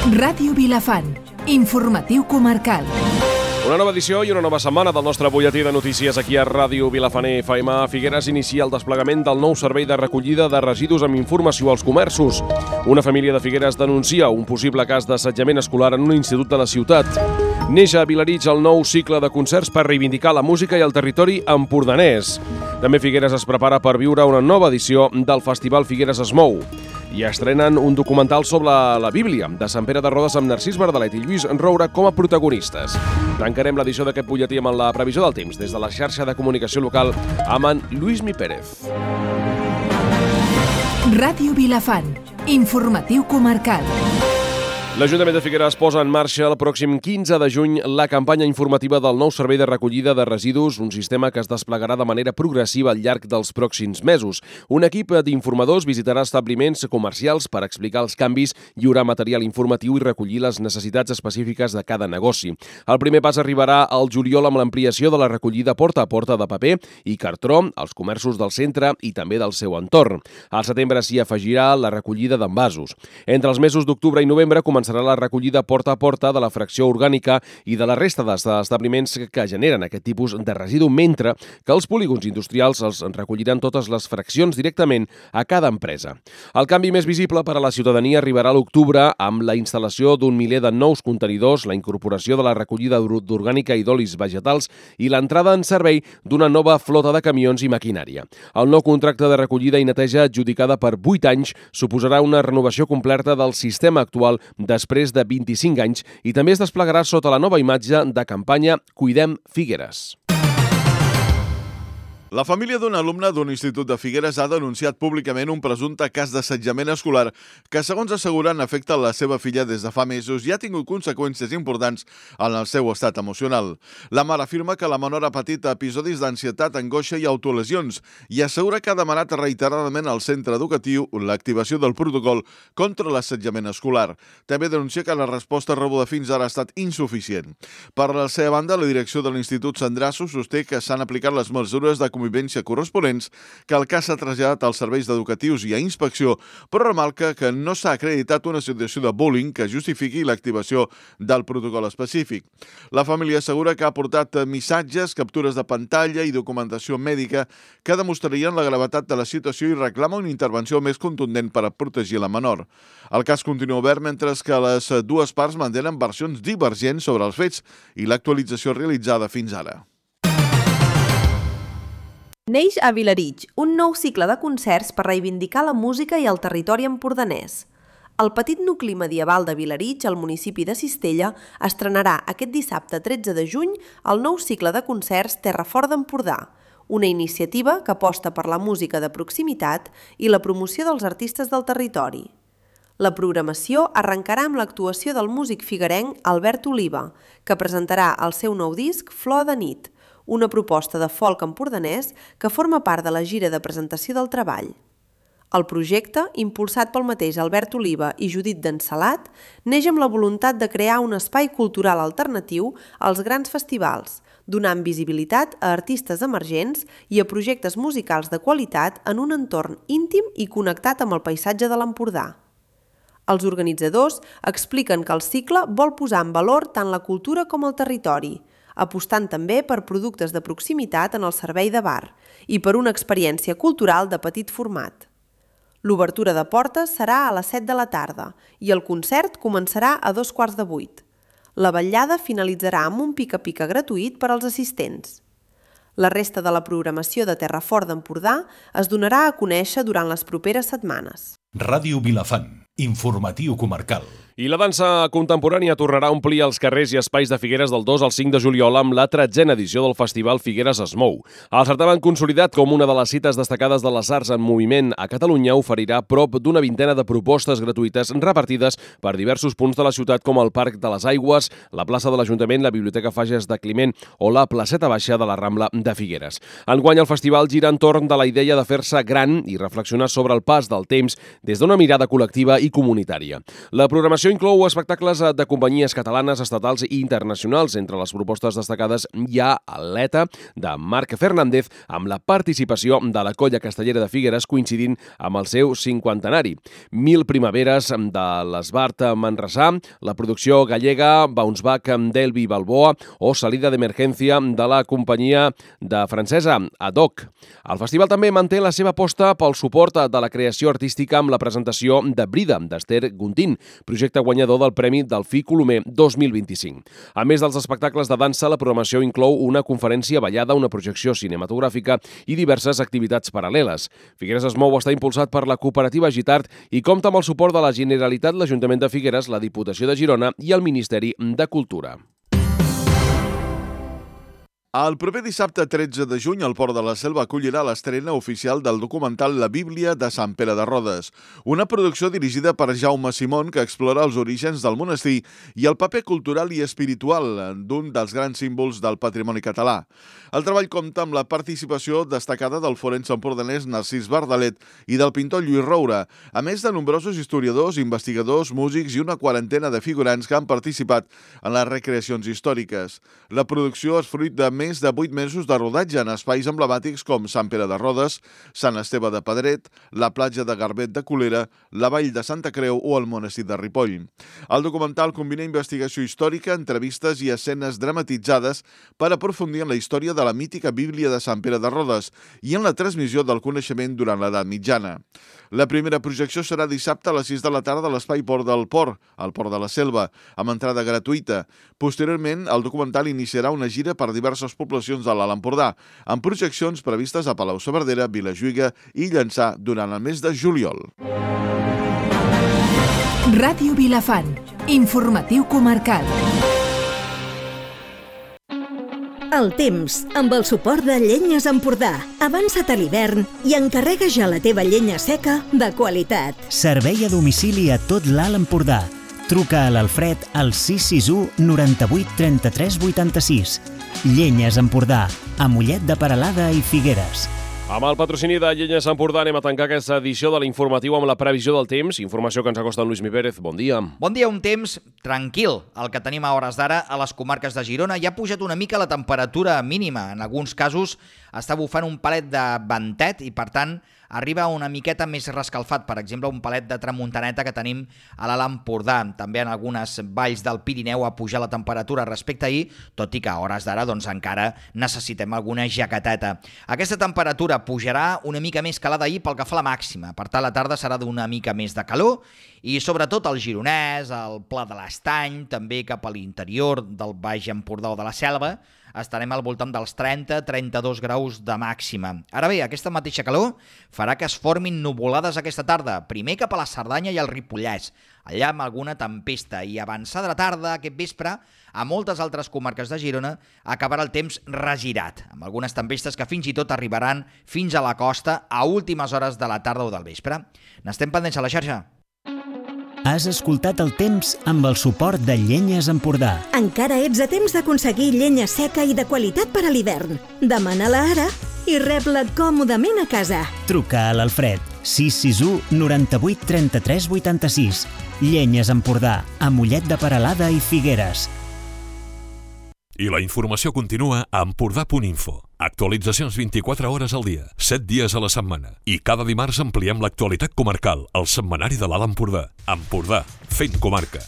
Ràdio Vilafant, informatiu comarcal. Una nova edició i una nova setmana del nostre butlletí de notícies aquí a Ràdio Vilafant FM. Figueres inicia el desplegament del nou servei de recollida de residus amb informació als comerços. Una família de Figueres denuncia un possible cas d'assetjament escolar en un institut de la ciutat. Neix a Vilarig el nou cicle de concerts per reivindicar la música i el territori empordanès. També Figueres es prepara per viure una nova edició del Festival Figueres es mou. I estrenen un documental sobre la Bíblia de Sant Pere de Rodes amb Narcís Verdalet i Lluís Roura com a protagonistes. Tancarem l'edició d'aquest butlletí amb la previsió del temps des de la xarxa de comunicació local amb en Lluís Pérez. Ràdio Vilafant, informatiu comarcal. L'Ajuntament de Figueres posa en marxa el pròxim 15 de juny la campanya informativa del nou servei de recollida de residus, un sistema que es desplegarà de manera progressiva al llarg dels pròxims mesos. Un equip d'informadors visitarà establiments comercials per explicar els canvis, lliurar material informatiu i recollir les necessitats específiques de cada negoci. El primer pas arribarà al juliol amb l'ampliació de la recollida porta a porta de paper i cartró als comerços del centre i també del seu entorn. Al setembre s'hi afegirà la recollida d'envasos. Entre els mesos d'octubre i novembre començarà la recollida porta a porta de la fracció orgànica i de la resta d'establiments que generen aquest tipus de residu, mentre que els polígons industrials els recolliran totes les fraccions directament a cada empresa. El canvi més visible per a la ciutadania arribarà a l'octubre amb la instal·lació d'un miler de nous contenidors, la incorporació de la recollida d'orgànica i d'olis vegetals i l'entrada en servei d'una nova flota de camions i maquinària. El nou contracte de recollida i neteja adjudicada per 8 anys suposarà una renovació completa del sistema actual després de 25 anys i també es desplegarà sota la nova imatge de campanya Cuidem Figueres. La família d'un alumne d'un institut de Figueres ha denunciat públicament un presumpte cas d'assetjament escolar que, segons asseguren, afecta la seva filla des de fa mesos i ha tingut conseqüències importants en el seu estat emocional. La mare afirma que la menor ha patit episodis d'ansietat, angoixa i autolesions i assegura que ha demanat reiteradament al centre educatiu l'activació del protocol contra l'assetjament escolar. També denuncia que la resposta rebuda fins ara ha estat insuficient. Per la seva banda, la direcció de l'Institut Sandrasso sosté que s'han aplicat les mesures de convivència corresponents, que el cas s'ha traslladat als serveis educatius i a inspecció, però remarca que no s'ha acreditat una situació de bullying que justifiqui l'activació del protocol específic. La família assegura que ha aportat missatges, captures de pantalla i documentació mèdica que demostrarien la gravetat de la situació i reclama una intervenció més contundent per a protegir la menor. El cas continua obert mentre que les dues parts mantenen versions divergents sobre els fets i l'actualització realitzada fins ara. Neix a Vilarig, un nou cicle de concerts per reivindicar la música i el territori empordanès. El petit nucli medieval de Vilarig, al municipi de Cistella, estrenarà aquest dissabte 13 de juny el nou cicle de concerts Terra Fort d'Empordà, una iniciativa que aposta per la música de proximitat i la promoció dels artistes del territori. La programació arrencarà amb l'actuació del músic figuerenc Albert Oliva, que presentarà el seu nou disc Flor de nit, una proposta de folk empordanès que forma part de la gira de presentació del treball. El projecte, impulsat pel mateix Albert Oliva i Judit d'Ensalat, neix amb la voluntat de crear un espai cultural alternatiu als grans festivals, donant visibilitat a artistes emergents i a projectes musicals de qualitat en un entorn íntim i connectat amb el paisatge de l'Empordà. Els organitzadors expliquen que el cicle vol posar en valor tant la cultura com el territori, apostant també per productes de proximitat en el servei de bar i per una experiència cultural de petit format. L'obertura de portes serà a les 7 de la tarda i el concert començarà a 7:15. La vetllada finalitzarà amb un pica-pica gratuït per als assistents. La resta de la programació de Terra Fort d'Empordà es donarà a conèixer durant les properes setmanes. Ràdio Vilafant, informatiu comarcal. I la dansa contemporània tornarà a omplir els carrers i espais de Figueres del 2 al 5 de juliol amb la 13a edició del Festival Figueres es mou. El certamen consolidat com una de les cites destacades de les arts en moviment a Catalunya oferirà prop d'una vintena de propostes gratuïtes repartides per diversos punts de la ciutat com el Parc de les Aigües, la plaça de l'Ajuntament, la Biblioteca Fages de Climent o la placeta baixa de la Rambla de Figueres. Enguany el festival gira entorn de la idea de fer-se gran i reflexionar sobre el pas del temps des d'una mirada col·lectiva i comunitària. La programació programació inclou espectacles de companyies catalanes, estatals i internacionals. Entre les propostes destacades hi ha l'ETA, de Marc Fernández, amb la participació de la Colla Castellera de Figueres coincidint amb el seu 50enari. 1000 primaveres de l'Esbart Manresà, la producció gallega Bounce Back d'Elvi Balboa o Salida d'Emergència de la companyia de francesa Adoc. El festival també manté la seva aposta pel suport de la creació artística amb la presentació de Brida, d'Esther Guntín, projecte guanyador del Premi Delfí Colomer 2025. A més dels espectacles de dansa, la programació inclou una conferència ballada, una projecció cinematogràfica i diverses activitats paral·leles. Figueres es mou està impulsat per la cooperativa Gitart i compta amb el suport de la Generalitat, l'Ajuntament de Figueres, la Diputació de Girona i el Ministeri de Cultura. El proper dissabte 13 de juny, el Port de la Selva acollirà l'estrena oficial del documental La Bíblia de Sant Pere de Rodes, una producció dirigida per Jaume Simón que explora els orígens del monestir i el paper cultural i espiritual d'un dels grans símbols del patrimoni català. El treball compta amb la participació destacada del forense empordanès Narcís Bardalet i del pintor Lluís Roura, a més de nombrosos historiadors, investigadors, músics i una quarantena de figurants que han participat en les recreacions històriques. La producció és fruit de més de 8 mesos de rodatge en espais emblemàtics com Sant Pere de Rodes, Sant Esteve de Pedret, la platja de Garbet de Colera, la vall de Santa Creu o el monestir de Ripoll. El documental combina investigació històrica, entrevistes i escenes dramatitzades per aprofundir en la història de la mítica Bíblia de Sant Pere de Rodes i en la transmissió del coneixement durant l'edat mitjana. La primera projecció serà dissabte a les 6 de la tarda a l'Espai Port del Port, al Port de la Selva, amb entrada gratuïta. Posteriorment, el documental iniciarà una gira per diverses poblacions de l'Alt Empordà, amb projeccions previstes a Palau-saverdera, Vilajuïga i Llançà durant el mes de juliol. Ràdio Vilafant, informatiu comarcal. El temps, amb el suport de Llenyes Empordà. Avança't a l'hivern i encarrega ja la teva llenya seca de qualitat. Servei a domicili a tot l'Alt Empordà. Truca a l'Alfred al 661 98 33 86. Llenyes Empordà, a Mollet de Peralada i Figueres. Amb el patrocini de Llenyes Empordà anem a tancar aquesta edició de l'informatiu amb la previsió del temps, informació que ens acosta en Lluís Mi Pérez. Bon dia. Bon dia, un temps tranquil. El que tenim a hores d'ara a les comarques de Girona. Ja ha pujat una mica la temperatura mínima. En alguns casos està bufant un palet de ventet i, per tant, arriba una miqueta més rescalfat. Per exemple, un palet de tramuntaneta que tenim a l'Alt Empordà. També en algunes valls del Pirineu ha pujat la temperatura respecte a ahir, tot i que a hores d'ara encara necessitem alguna jaqueteta. Aquesta temperatura pujarà una mica més que la d'ahir pel que fa a la màxima. Per tant, la tarda serà d'una mica més de calor i sobretot al Gironès, al Pla de l'Estany, també cap a l'interior del Baix Empordà o de la Selva, estarem al voltant dels 30-32 graus de màxima. Ara bé, aquesta mateixa calor farà que es formin nuvolades aquesta tarda, primer cap a la Cerdanya i el Ripollès, allà amb alguna tempesta, i avançada la tarda, aquest vespre, a moltes altres comarques de Girona acabarà el temps regirat, amb algunes tempestes que fins i tot arribaran fins a la costa a últimes hores de la tarda o del vespre. N'estem pendents a la xarxa. Has escoltat el temps amb el suport de Llenyes Empordà. Encara ets a temps d'aconseguir llenya seca i de qualitat per a l'hivern. Demana-la ara i rep-la còmodament a casa. Truca a l'Alfred 661 98 33 86. Llenyes Empordà, a Mollet de Peralada i Figueres. I la informació continua a empordà.info. Actualitzacions 24 hores al dia, 7 dies a la setmana. I cada dimarts ampliem l'actualitat comarcal, al setmanari de l'Alt Empordà. Empordà, fent comarca.